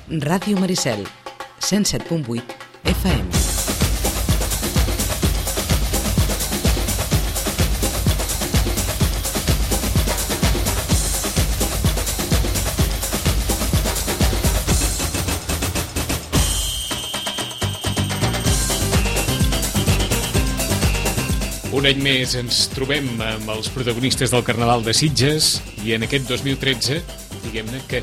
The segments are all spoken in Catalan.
Ràdio Maricel, 107.8 FM. Un any més ens trobem amb els protagonistes del Carnaval de Sitges i en aquest 2013, diguem-ne que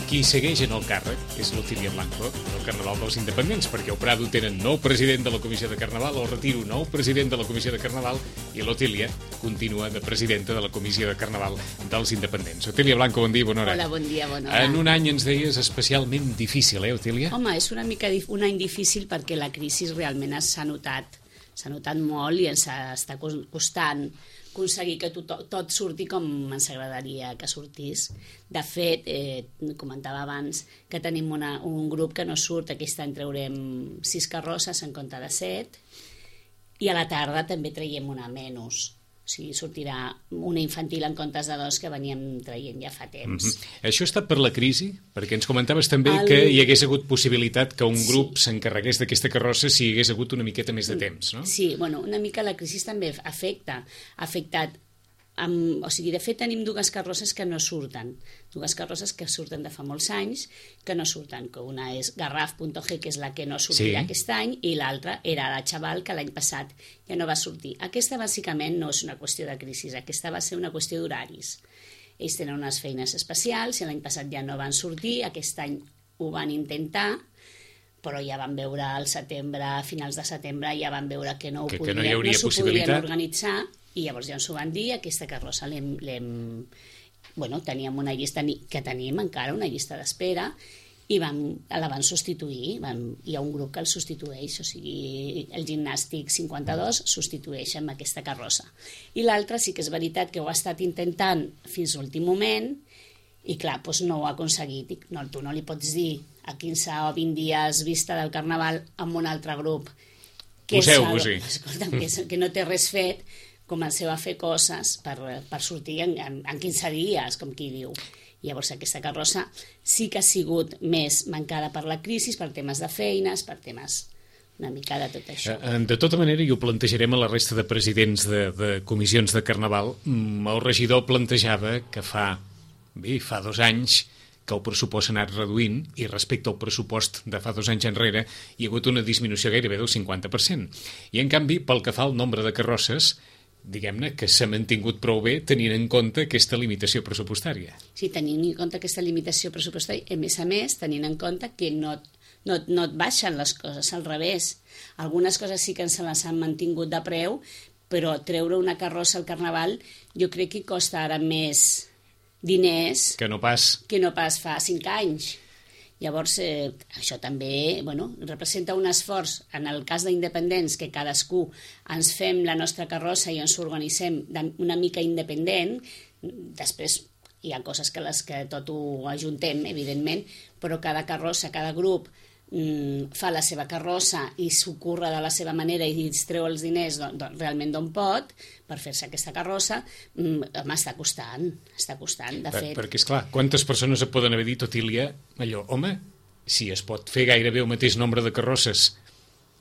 qui segueix en el càrrec és l'Otília Blanco del Carnaval dels Independents, perquè al Prado tenen nou president de la Comissió de Carnaval, al Retiro nou president de la Comissió de Carnaval i l'Otília continua de presidenta de la Comissió de Carnaval dels Independents. Otília Blanco, bon dia, bona hora. Hola, bon dia, bona hora. En un any ens deies especialment difícil, Otília? Home, és una mica un any difícil perquè la crisi realment s'ha notat molt i ens està costant aconseguir que tot surti com ens agradaria que sortís. De fet, comentava abans que tenim un grup que no surt. Aquest any traurem 6 carrosses en compte de 7 i a la tarda també traiem una menys. O sigui, sortirà una infantil en comptes de 2 que veníem traient ja fa temps. Això està per la crisi? Perquè ens comentaves també que hi hagués hagut possibilitat que un grup s'encarregués d'aquesta carrossa si hi hagués hagut una miqueta més de temps, no? Sí, bueno, una mica la crisi també ha afectat. O sigui, de fet tenim 2 carrosses que no surten, 2 carrosses que surten de fa molts anys que no surten, que una és Garraf.g, que és la que no sortirà aquest any, i l'altra era la Chaval, que l'any passat ja no va sortir. Aquesta bàsicament no és una qüestió de crisi, aquesta va ser una qüestió d'horaris. Ells tenen unes feines especials i l'any passat ja no van sortir, aquest any ho van intentar, però ja van veure al setembre, a finals de setembre, ja van veure que no s'ho podrien organitzar. I llavors ja ens ho van dir, aquesta carrossa teníem una llista, que tenim encara una llista d'espera, i la van substituir. Hi ha un grup que el substitueix, o sigui, el Gimnàstic 52 substitueix amb aquesta carrossa. I l'altra sí que és veritat que ho ha estat intentant fins a l'últim moment, i clar, doncs no ho ha aconseguit. No, tu no li pots dir a 15 o 20 dies vista del Carnaval amb un altre grup que no té res fet, comenceu a fer coses per sortir en 15 dies, com qui diu. Llavors aquesta carrossa sí que ha sigut més mancada per la crisi, per temes de feines, per temes una mica de tot això. De tota manera, i ho plantejarem a la resta de presidents de comissions de Carnaval, el regidor plantejava que fa 2 anys que el pressupost s'ha anat reduint i respecte al pressupost de fa 2 anys enrere hi ha hagut una disminució gairebé del 50%. I en canvi, pel que fa al nombre de carrosses, diguem-ne que s'ha mantingut prou bé tenint en compte aquesta limitació pressupostària. Sí, tenint en compte aquesta limitació pressupostària, a més, tenint en compte que no et baixen les coses, al revés. Algunes coses sí que se les han mantingut de preu, però treure una carrossa al Carnaval jo crec que costa ara més diners que no pas fa 5 anys. Llavors, això també representa un esforç, en el cas d'independents, que cadascú ens fem la nostra carrossa i ens organitzem una mica independent. Després hi ha coses que tot ho ajuntem, evidentment, però cada carrossa, cada grup fa la seva carrossa i s'ho curra de la seva manera i es treu els diners realment d'on pot per fer-se aquesta carrossa. Està costant, de fet. Perquè, esclar, quantes persones et poden haver dit, Otília, allò, home, si es pot fer gairebé el mateix nombre de carrosses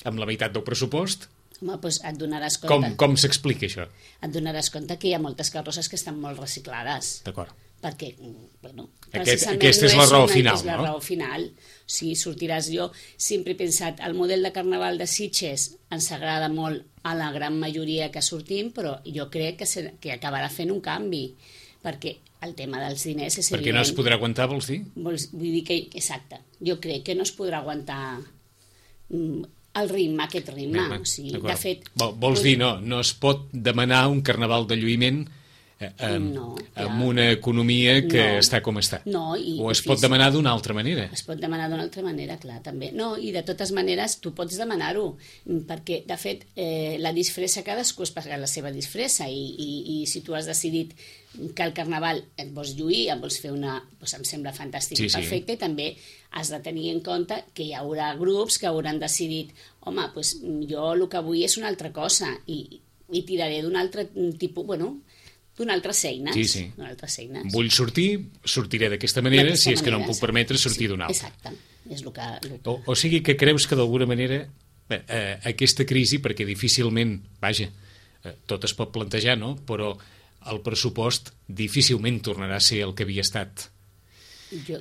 amb la meitat del pressupost, home, doncs et donaràs compte. Com s'explica això? Et donaràs compte que hi ha moltes carrosses que estan molt reciclades. D'acord. Perquè, aquesta és la raó final, no? És la raó final. O sigui, sortiràs. Jo sempre he pensat, el model de Carnaval de Sitges ens agrada molt a la gran majoria que sortim, però jo crec que acabarà fent un canvi, perquè el tema dels diners és evident. Perquè no es podrà aguantar, vols dir? Vull dir que, exacte, jo crec que no es podrà aguantar aquest ritme. O sigui, de fet, vols dir, no es pot demanar un Carnaval de lluïment amb una economia que està com està. O es pot demanar d'una altra manera. Es pot demanar d'una altra manera, clar, també. No, i de totes maneres tu pots demanar-ho, perquè, de fet, la disfressa, cadascú es paga la seva disfressa, i si tu has decidit que al Carnaval et vols lluir, em vols fer una... Doncs em sembla fantàstic i perfecte, i també has de tenir en compte que hi haurà grups que hauran decidit, home, jo el que vull és una altra cosa, i tiraré d'un altre tipus, donar altres eines. Sí. Donar altres eines. Vull sortir, sortiré d'aquesta manera, si és que no em puc permetre sortir d'una altra. Exacte. És el que... O sigui que creus que d'alguna manera aquesta crisi, perquè difícilment, vaja, tot es pot plantejar, no? Però el pressupost difícilment tornarà a ser el que havia estat.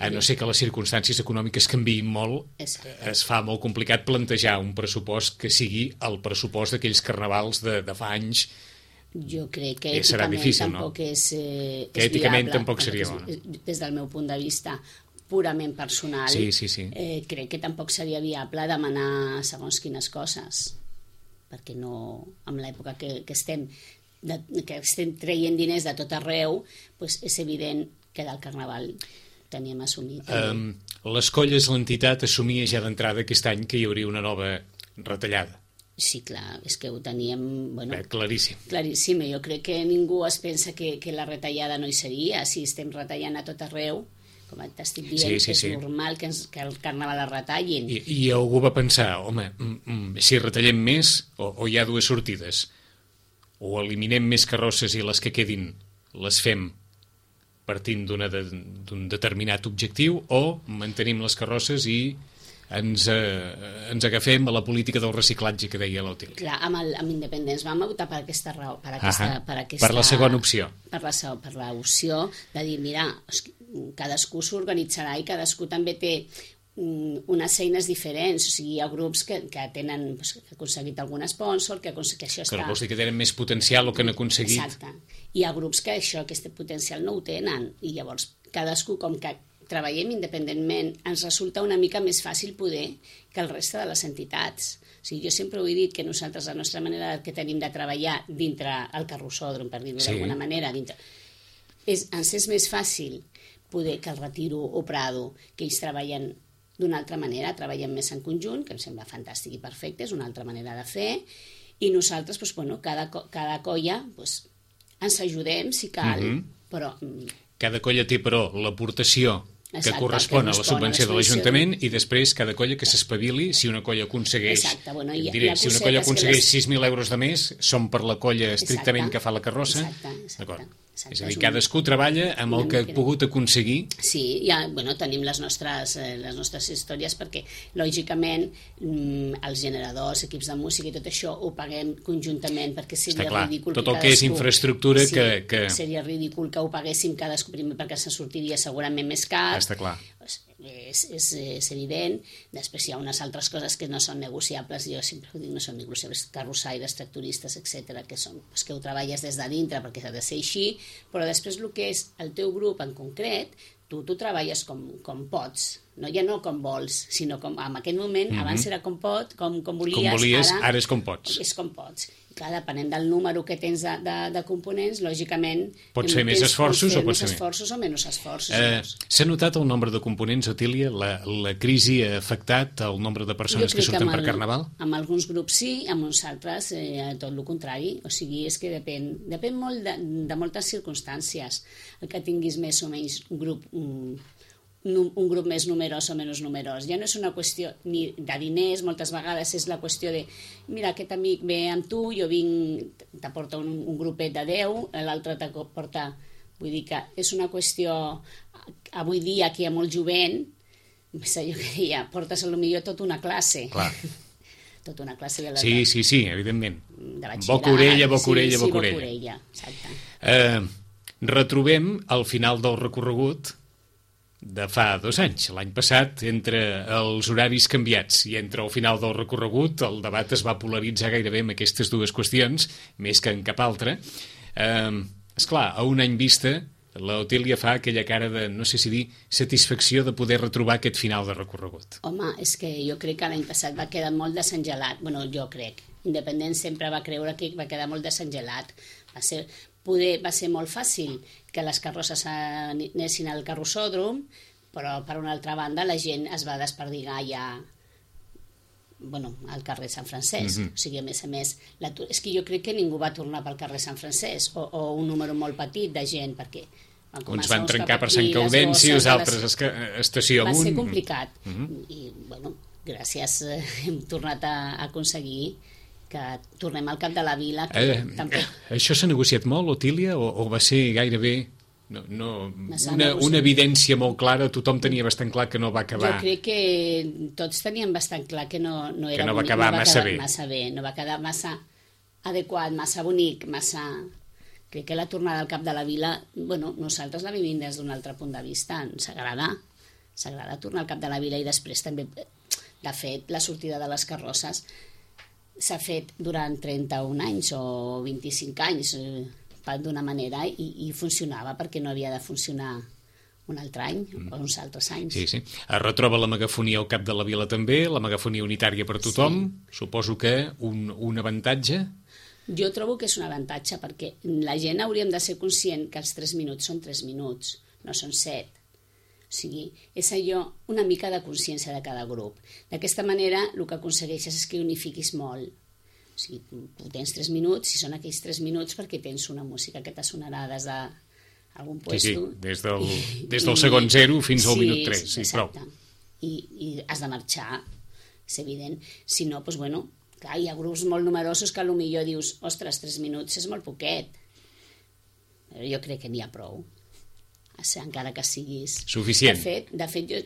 A no ser que les circumstàncies econòmiques canviïn molt, es fa molt complicat plantejar un pressupost que sigui el pressupost d'aquells carnavals de fa anys. Jo crec que serà difícil, tampoc és que èticament viable, tampoc seria bo. Des del meu punt de vista purament personal, sí. Crec que tampoc seria viable demanar segons quines coses, perquè no, en l'època que estem traient diners de tot arreu, doncs és evident que del Carnaval teníem assumit. Les colles, l'entitat, assumia ja d'entrada aquest any que hi hauria una nova retallada. Sí, clar, és que ho teníem... Claríssim. Claríssim, jo crec que ningú es pensa que la retallada no hi seria. Si estem retallant a tot arreu, com t'estic dient, és normal que el Carnaval es retallin. I algú va pensar, home, si retallem més, o hi ha dues sortides, o eliminem més carrosses i les que quedin les fem partint d'un determinat objectiu, o mantenim les carrosses i ens agafem a la política del reciclatge que deia l'Otília. Clar, amb Independents vam optar per aquesta raó, per la segona opció. Per l'opció de dir, mira, cadascú s'organitzarà i cadascú també té unes eines diferents, o sigui, hi ha grups que tenen, que han aconseguit algun sponsor, que això està... Que vols dir que tenen més potencial o que han aconseguit... Exacte. Hi ha grups que aquest potencial no ho tenen, i llavors cadascú, com que treballem independentment, ens resulta una mica més fàcil poder que el reste de les entitats. O sigui, jo sempre ho he dit que nosaltres, la nostra manera que tenim de treballar dintre el carrossòdrom, per dir-ho d'alguna manera, ens és més fàcil poder que el Retiro o Prado, que ells treballen d'una altra manera, treballen més en conjunt, que em sembla fantàstic i perfecte, és una altra manera de fer, i nosaltres, cada colla, ens ajudem si cal, però... Cada colla té, però, l'aportació que correspon a la subvenció de l'Ajuntament, i després cada colla que s'espavili. Si una colla aconsegueix, si una colla aconsegueix 6.000 euros de més, són per la colla estrictament que fa la carrossa. D'acord. És a dir, cadascú treballa amb el que ha pogut aconseguir. Sí, ja, tenim les nostres històries, perquè lògicament els generadors, equips de música i tot això ho paguem conjuntament, perquè seria ridícul tot el que és infraestructura que... Seria ridícul que ho paguéssim cadascú primer, perquè se sortiria segurament més car. Està clar. És evident. Després hi ha unes altres coses que no són negociables, jo sempre ho dic, no són negociables, carrossaires, tractoristes, etc., que ho treballes des de dintre perquè s'ha de ser així, però després el que és el teu grup en concret, tu treballes com pots, ja no com vols, sinó com en aquest moment, abans era com volies, ara és com pots. És com pots. Clar, depenent del número que tens de components, lògicament... Pots fer més esforços o pots fer esforços o menys esforços. S'ha notat el nombre de components, Otília? La crisi ha afectat el nombre de persones que surten per Carnaval? Amb alguns grups sí, amb uns altres tot el contrari. O sigui, és que depèn molt de moltes circumstàncies. El que tinguis més o menys un grup més numerós o menys numerós. Ja no és una qüestió ni de diners, moltes vegades és la qüestió de mira, aquest amic ve amb tu, jo vinc, t'aporta un grupet de 10, l'altre t'aporta... Vull dir que és una qüestió... Avui dia, que hi ha molt jovent, jo que deia, portes potser tota una classe. Clar. Tota una classe de la... Sí, evidentment. Boca orella, exacte. Retrobem al final del recorregut de fa 2 anys. L'any passat, entre els horaris canviats i entre el final del recorregut, el debat es va polaritzar gairebé amb aquestes dues qüestions, més que en cap altra. Esclar, a un any vista, l'Otília fa aquella cara de, no sé si dir, satisfacció de poder retrobar aquest final de recorregut. Home, és que jo crec que l'any passat va quedar molt desengelat. Bueno, jo crec. Independent sempre va creure que va quedar molt desengelat. Va ser molt fàcil que les carrosses anessin al carrossòdrom, però per una altra banda la gent es va desperdigar ja al carrer Sant Francesc. O sigui, a més, és que jo crec que ningú va tornar pel carrer Sant Francesc, o un número molt petit de gent, perquè uns van trencar per Sant Gaudenci, els altres estació amunt. Va ser complicat. I, gràcies, hem tornat a aconseguir que tornem al cap de la vila. Això s'ha negociat molt, Otília, o va ser gairebé una evidència molt clara? Tothom tenia bastant clar que no va acabar... Jo crec que tots teníem bastant clar que no era que no va acabar massa bé. No va quedar massa adequat, massa bonic, massa... Crec que la tornada al cap de la vila, nosaltres la vivim des d'un altre punt de vista, ens agrada tornar al cap de la vila, i després també, de fet, la sortida de les carrosses s'ha fet durant 31 anys o 25 anys, d'una manera, i funcionava perquè no havia de funcionar un altre any o uns altres anys. Sí. Es retroba la megafonia al cap de la vila també, la megafonia unitària per tothom. Sí. Suposo que un avantatge? Jo trobo que és un avantatge perquè la gent hauríem de ser conscient que els 3 minuts són 3 minuts, no són 7. O sigui, és allò, una mica de consciència de cada grup. D'aquesta manera, el que aconsegueixes és que unifiquis molt. O sigui, tu tens 3 minuts, si són aquells 3 minuts perquè tens una música que te sonarà des d'algun puesto. Sí, des del segon 0 fins al minut 3. Sí, exacte. I has de marxar, és evident. Si no, doncs clar, hi ha grups molt numerosos que potser dius, ostres, 3 minuts és molt poquet. Però jo crec que n'hi ha prou. Encara que siguis... Suficient. De fet, jo,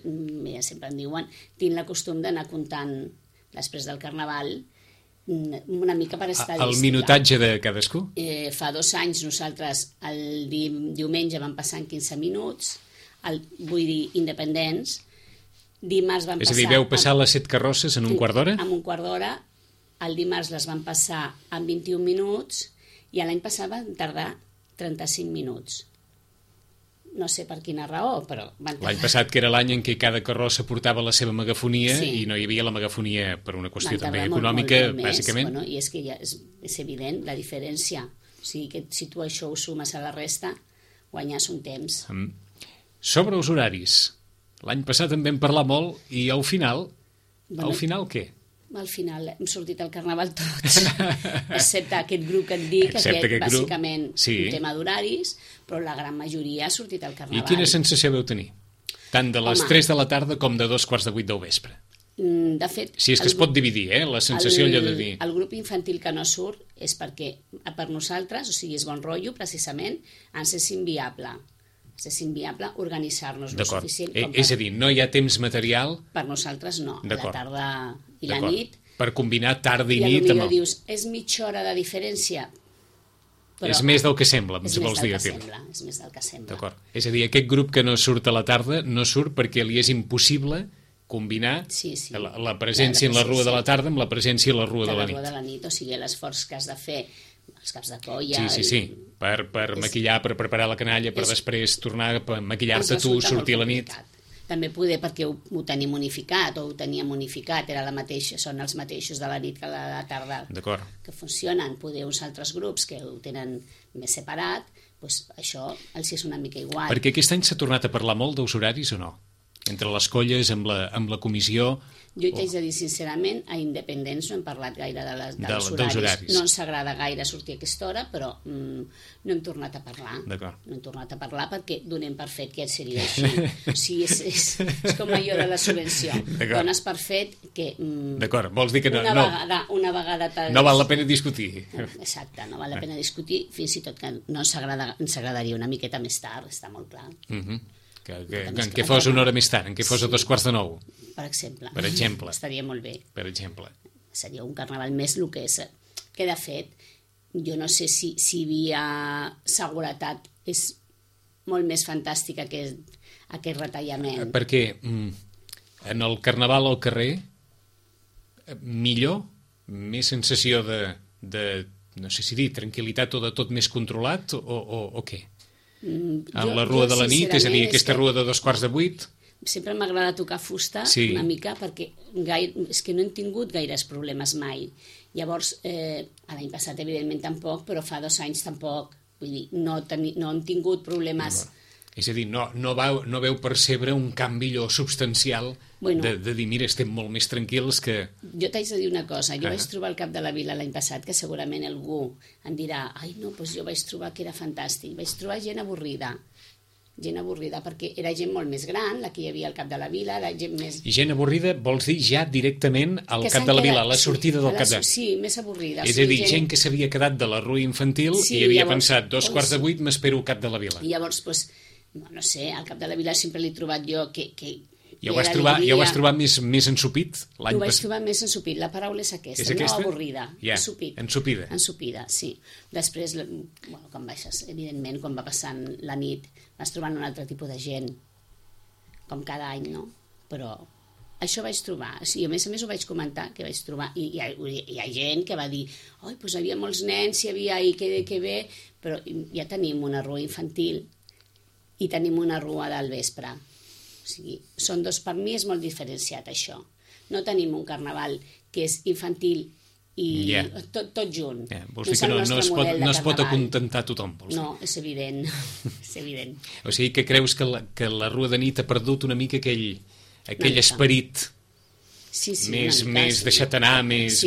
sempre em diuen, tinc el costum d'anar comptant després del Carnaval una mica per estadística. El minutatge de cadascú? Fa 2 anys nosaltres el diumenge vam passar en 15 minuts, vull dir, independents. Dimarts van passar... És a dir, veu passar les 7 carrosses en un quart d'hora? En un quart d'hora. El dimarts les van passar en 21 minuts i l'any passat van tardar 35 minuts. No sé per quina raó, però... L'any passat, que era l'any en què cada carrossa portava la seva megafonia, sí, i no hi havia la megafonia per una qüestió també econòmica, molt bàsicament. I és que ja és evident la diferència. O sigui que si tu això ho sumes a la resta, guanyes un temps. Sobre els horaris. L'any passat en vam parlar molt i al final què? Al final hem sortit al Carnaval tots, excepte aquest grup que et dic, que bàsicament un tema d'horaris, però la gran majoria ha sortit al Carnaval. I quina sensació veu tenir? Tant de les 3 de la tarda com de 2:15 del vespre. De fet... Si és que es pot dividir, la sensació allò de dir... El grup infantil que no surt és perquè per nosaltres, o sigui, és bon rotllo, precisament, ens és inviable. És inviable organitzar-nos lo suficient. És a dir, no hi ha temps material... Per nosaltres no, la tarda i la nit. Per combinar tarda i nit... I potser dius, és mitja hora de diferència, però... És més del que sembla, ens vols dir. És més del que sembla. D'acord. És a dir, aquest grup que no surt a la tarda no surt perquè li és impossible combinar la presència en la rua de la tarda amb la presència a la rua de la nit. La rua de la nit, o sigui, l'esforç que has de fer, els caps de colla... Sí. Per maquillar, per preparar la canalla, per després tornar a maquillar-te tu, sortir a la nit. També poder perquè ho tenim unificat, o ho teníem unificat, són els mateixos de la nit que la tarda que funcionen. Poder uns altres grups que ho tenen més separat, doncs això els és una mica igual. Perquè aquest any s'ha tornat a parlar molt dels horaris o no? Entre les colles, amb la comissió... Jo t'haig de dir, sincerament, a Independents no hem parlat gaire dels horaris. No ens agrada gaire sortir a aquesta hora, però no hem tornat a parlar. D'acord. No hem tornat a parlar perquè donem per fet que seria així. O sigui, és com allò de la subvenció. Dones per fet que... D'acord, vols dir que no... Una vegada... No val la pena discutir. Exacte, no val la pena discutir, fins i tot que no ens agradaria una miqueta més tard, està molt clar. En què fos una hora més tard, en què fos a 8:45. Per exemple. Estaria molt bé. Per exemple. Seria un carnaval més el que és. Que, de fet, jo no sé si via seguretat és molt més fantàstica que aquest retallament. Perquè en el carnaval al carrer, millor, més sensació de no sé si dir, tranquil·litat o de tot més controlat o què? En la rua de la nit, és a dir, aquesta rua de 7:15... Sempre m'agrada tocar fusta una mica perquè és que no hem tingut gaires problemes mai. Llavors, l'any passat evidentment tampoc, però fa 2 anys tampoc. Vull dir, no hem tingut problemes... És a dir, no veu percebre un canvi substancial de dir, mira, estem molt més tranquils que... Jo t'haig de dir una cosa, jo vaig trobar al cap de la vila l'any passat que segurament algú em dirà, ai no, doncs jo vaig trobar que era fantàstic, vaig trobar gent avorrida. Gent avorrida, perquè era gent molt més gran, la que hi havia al cap de la vila, era gent més... I gent avorrida vols dir ja directament al que cap de la vila, a la sortida del cap de... Sí, més avorrida. És a dir, gent que s'havia quedat de la rua infantil i havia pensat 2:15 m'espero al cap de la vila. I llavors, doncs, no sé, al cap de la vila sempre l'he trobat jo que Ja ho vas trobar més ensupit l'any passat? Ho vaig passat? trobar més ensupit. La paraula és aquesta, no avorrida. Ja, ensupida. Ensupida, sí. Després, quan baixes, evidentment, quan va passant la nit, vas trobant un altre tipus de gent, com cada any, no? Però això vaig trobar. Sí, a més ho vaig comentar, que vaig trobar. I hi ha gent que va dir oi, doncs hi havia molts nens, hi havia ahir, que bé, però ja tenim una rua infantil i tenim una rua del vespre. O sigui, per mi és molt diferenciat això. No tenim un carnaval que és infantil i tot junt. Vols dir que no es pot acontentar tothom? No, és evident. És evident. O sigui que creus que la rua de nit ha perdut una mica aquell esperit més deixat anar, més...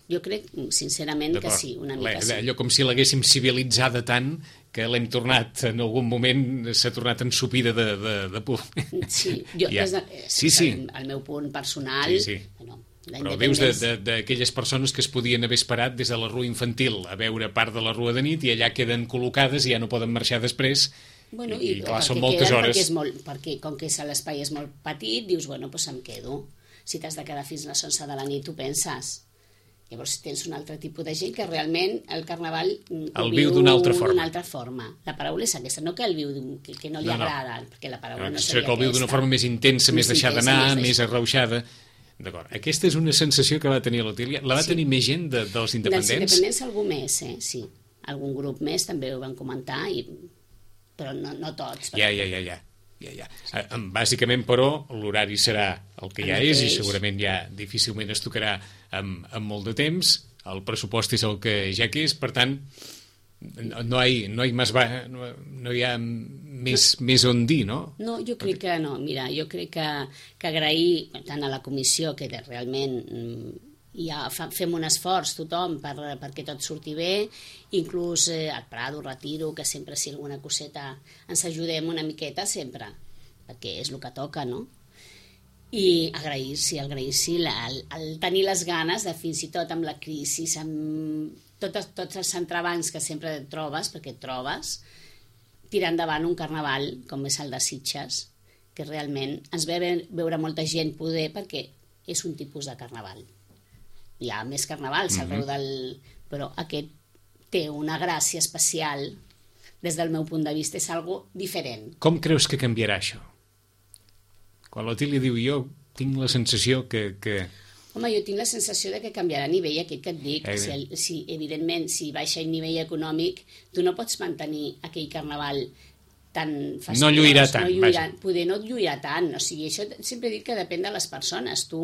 Jo crec, sincerament, que sí, una mica sí. Allò com si l'haguéssim civilitzada tant que l'hem tornat, en algun moment, s'ha tornat ensupida de por. Sí, el meu punt personal... Bueno, però dius d'aquelles persones que es podien haver esperat des de la rua infantil a veure part de la rua de nit i allà queden col·locades i ja no poden marxar després. Bueno, i clar, són moltes hores. Perquè com que l'espai és molt petit, dius, bueno, doncs em quedo. Si t'has de quedar fins a les 11 de la nit, tu penses. Llavors tens un altre tipus de gent que realment el carnaval el viu d'una altra forma. La paraula és aquesta, no que el viu que no li agrada, perquè la paraula no seria que el viu d'una forma més intensa, més deixada anar, més arrauxada. D'acord. Aquesta és una sensació que va tenir l'Otília. La va tenir més gent dels independents? Dels independents algú més, sí. Algun grup més també ho van comentar, però no tots. Ja. Bàsicament, però, l'horari serà el que ja és i segurament ja difícilment es tocarà amb molt de temps. El pressupost és el que ja que és, per tant, no hi ha més on dir, no? No, jo crec que no. Mira, jo crec que agrair tant a la comissió que realment ja fem un esforç tothom perquè tot surti bé, inclús al Prado, Retiro, que sempre si alguna coseta ens ajudem una miqueta sempre, perquè és el que toca, no? I agrair el tenir les ganes de fins i tot amb la crisi, amb tots els entrebancs que sempre et trobes, perquè et trobes, tirar endavant un carnaval com és el de Sitges, que realment ens ve veure molta gent poder perquè és un tipus de carnaval. Hi ha més carnavals arreu però aquest té una gràcia especial, des del meu punt de vista, és algo diferent. Com creus que canviarà això? Quan l'Otília diu jo tinc la sensació que... Home, jo tinc la sensació de que canviarà a nivell aquest que et dic. Evidentment, si baixa el nivell econòmic, tu no pots mantenir aquell carnaval tan fastidiós. No lluirà tant. Poder no lluirà tant. O sigui, això sempre he dit que depèn de les persones. Tu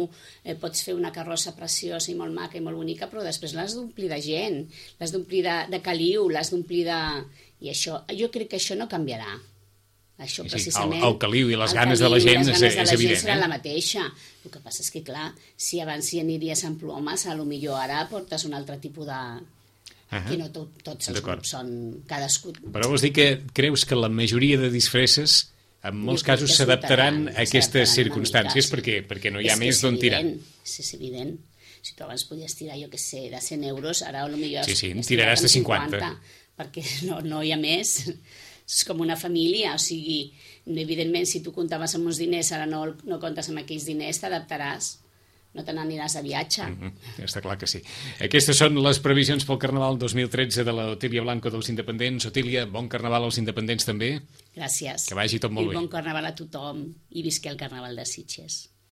pots fer una carrossa preciosa i molt maca i molt bonica, però després l'has d'omplir de gent, l'has d'omplir de caliu, l'has d'omplir de... I això, jo crec que això no canviarà. Això precisament... El caliu i les ganes de la gent és evident. Serà la mateixa. El que passa és que, clar, si abans hi aniries amb plomes, potser ara portes un altre tipus de... que no tots els grups són cadascú... Però vols dir que creus que la majoria de disfresses en molts casos s'adaptaran a aquestes circumstàncies perquè no hi ha més d'on tirar? És evident. Si tu abans podies tirar, jo què sé, de 100 euros, ara potser... Sí, tiraràs de 50. Perquè no hi ha més... És com una família, o sigui, evidentment, si tu comptaves amb uns diners, ara no comptes amb aquells diners, t'adaptaràs, no te n'aniràs de viatge. Està clar que sí. Aquestes són les previsions pel Carnaval 2013 de l'Otília Blanco dels Independents. Otília, bon Carnaval als Independents també. Gràcies. Que vagi tot molt bé. I bon Carnaval a tothom i visqui el Carnaval de Sitges.